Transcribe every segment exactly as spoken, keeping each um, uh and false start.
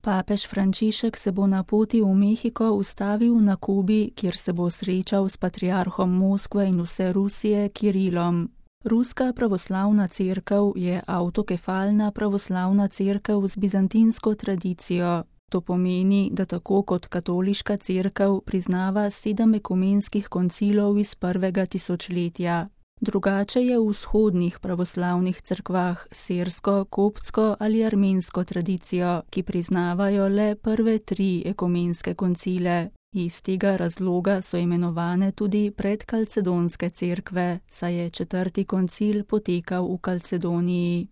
Papež Frančišek se bo na poti v Mehiko ustavil na Kubi, kjer se bo srečal s patriarhom Moskve in vse Rusije Kirilom. Ruska pravoslavna cerkev je avtokefalna pravoslavna cerkev z bizantinsko tradicijo. To pomeni, da tako kot katoliška cerkev priznava sedem ekumenskih koncilov iz prvega tisočletja. Drugače je v vzhodnih pravoslavnih cerkvah sersko, koptsko ali armensko tradicijo, ki priznavajo le prve tri ekumenske koncile. Iz tega razloga so imenovane tudi predkalcedonske cerkve, saj je četrti koncil potekal v Kalcedoniji.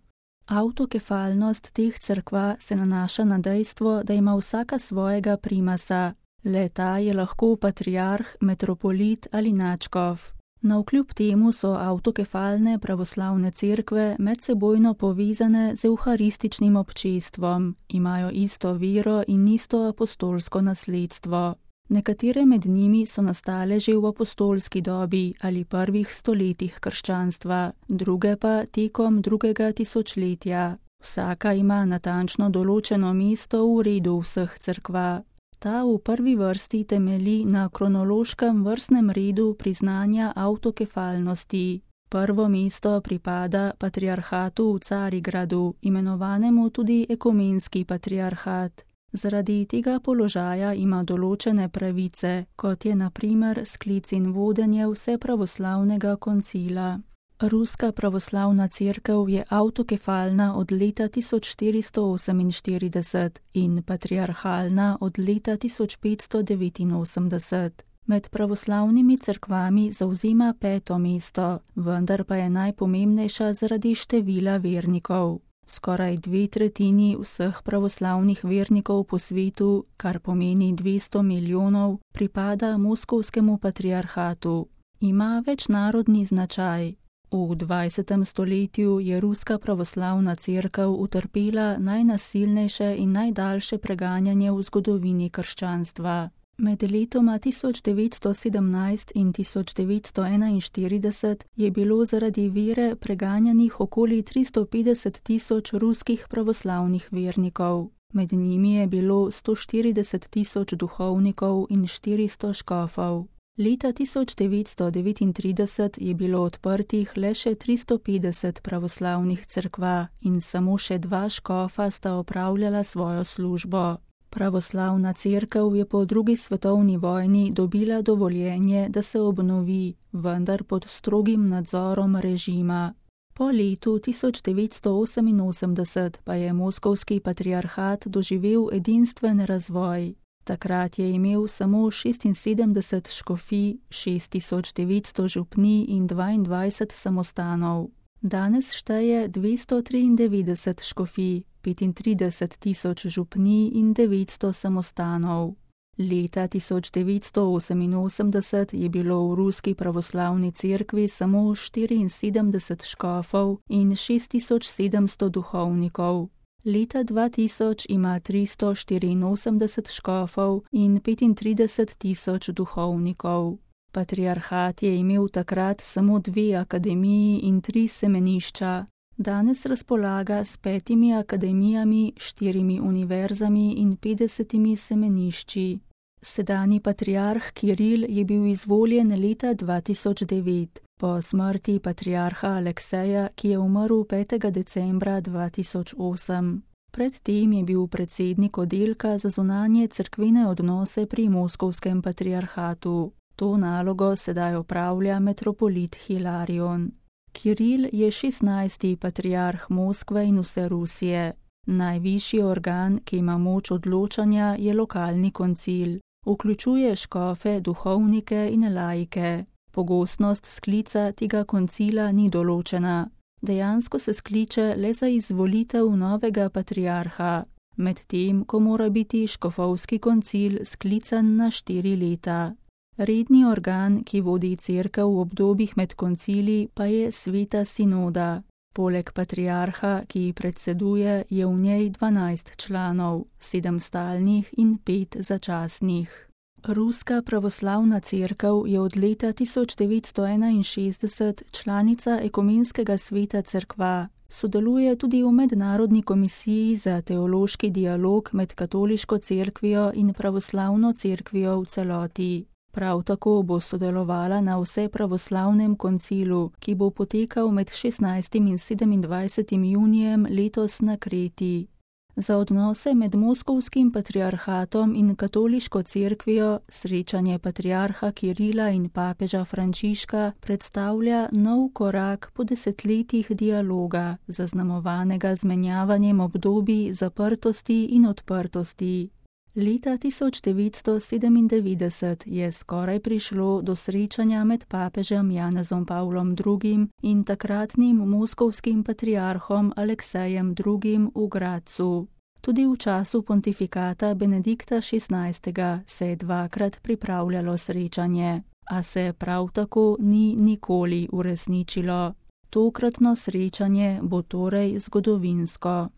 Avtokefalnost teh cerkva se nanaša na dejstvo, da ima vsaka svojega primasa, le ta je lahko patriarh, metropolit ali nadškof. Navkljub temu so avtokefalne pravoslavne cerkve medsebojno povezane z evharističnim občestvom, imajo isto vero in isto apostolsko nasledstvo. Nekatere med njimi so nastale že v apostolski dobi ali prvih stoletjih krščanstva, druge pa tekom drugega tisočletja. Vsaka ima natančno določeno mesto v redu vseh cerkva. Ta v prvi vrsti temelji na kronološkem vrstnem redu priznanja avtokefalnosti. Prvo mesto pripada patriarhatu v Carigradu, imenovanemu tudi ekumenski patriarhat. Zaradi tega položaja ima določene pravice, kot je na primer sklic in vodenje vsepravoslavnega koncila. Ruska pravoslavna cerkev je avtokefalna od leta tisoč štiristo oseminštirideset in patriarhalna od leta tisoč petsto devetinosemdeset. Med pravoslavnimi cerkvami zavzema peto mesto, vendar pa je najpomembnejša zaradi števila vernikov. Skoraj dve tretjini vseh pravoslavnih vernikov po svetu, kar pomeni dvesto milijonov, pripada moskovskemu patriarhatu. Ima večnarodni značaj. V dvajsetem stoletju je ruska pravoslavna cerkev utrpela najnasilnejše in najdaljše preganjanje v zgodovini krščanstva. Med letoma tisoč devetsto sedemnajst in tisoč devetsto enainštirideset je bilo zaradi vere preganjanih okoli tristo petdeset tisoč ruskih pravoslavnih vernikov. Med njimi je bilo sto štirideset tisoč duhovnikov in štiristo škofov. Leta tisoč devetsto devetintrideset je bilo odprtih le še tristo petdeset pravoslavnih cerkva in samo še dva škofa sta opravljala svojo službo. Pravoslavna cerkev je po drugi svetovni vojni dobila dovoljenje, da se obnovi, vendar pod strogim nadzorom režima. Po letu tisoč devetsto oseminosemdeset pa je moskovski patriarhat doživel edinstven razvoj. Takrat je imel samo šestinsedemdeset škofij, šest tisoč devetsto župnij in dvaindvajset samostanov. Danes šteje dvesto triindevetdeset škofij, petintrideset tisoč župnij in devetsto samostanov. Leta tisoč devetsto oseminosemdeset je bilo v ruski pravoslavni cerkvi samo štiriinsedemdeset škofov in šest tisoč sedemsto duhovnikov. Leta dva tisoč ima tristo štiriinosemdeset škofov in petintrideset tisoč duhovnikov. Patriarhat je imel takrat samo dve akademiji in tri semenišča. Danes razpolaga s petimi akademijami, štirimi univerzami in petdesetimi semenišči. Sedanji patriarh Kiril je bil izvoljen leta dva tisoč devet, po smrti patriarha Alekseja, ki je umrl petega decembra dva tisoč osem. Pred tem je bil predsednik oddelka za zunanje cerkvene odnose pri moskovskem patriarhatu. To nalogo sedaj opravlja metropolit Hilarion. Kiril je šestnajsti patriarh Moskve in vse Rusije. Najvišji organ, ki ima moč odločanja, je lokalni koncil. Vključuje škofe, duhovnike in laike. Pogostnost sklica tega koncila ni določena. Dejansko se skliče le za izvolitev novega patriarha, medtem ko mora biti škofovski koncil sklican na štiri leta. Redni organ, ki vodi cerkev v obdobjih med koncili, pa je sveta sinoda. Poleg patriarha, ki ji predseduje, je v njej dvanajst članov, sedem stalnih in pet začasnih. Ruska pravoslavna cerkev je od leta tisoč devetsto enainšestdeset članica ekumenskega sveta cerkva, Sodeluje tudi v Mednarodni komisiji za teološki dialog med Katoliško cerkvijo in pravoslavno cerkvijo v celoti. Prav tako bo sodelovala na vsepravoslavnem koncilu, ki bo potekal med šestnajstim in sedemindvajsetim junijem letos na Kreti. Za odnose med Moskovskim patriarhatom in Katoliško cerkvijo srečanje patriarha Kirila in papeža Frančiška predstavlja nov korak po desetletjih dialoga, zaznamovanega z menjavanjem obdobij zaprtosti in odprtosti. Leta tisoč devetsto sedemindevetdeset je skoraj prišlo do srečanja med papežem Janezom Pavlom drugim in takratnim moskovskim patriarhom Aleksejem drugim v Gradcu. Tudi v času pontifikata Benedikta šestnajstega se je dvakrat pripravljalo srečanje, a se prav tako ni nikoli uresničilo. Tokratno srečanje bo torej zgodovinsko.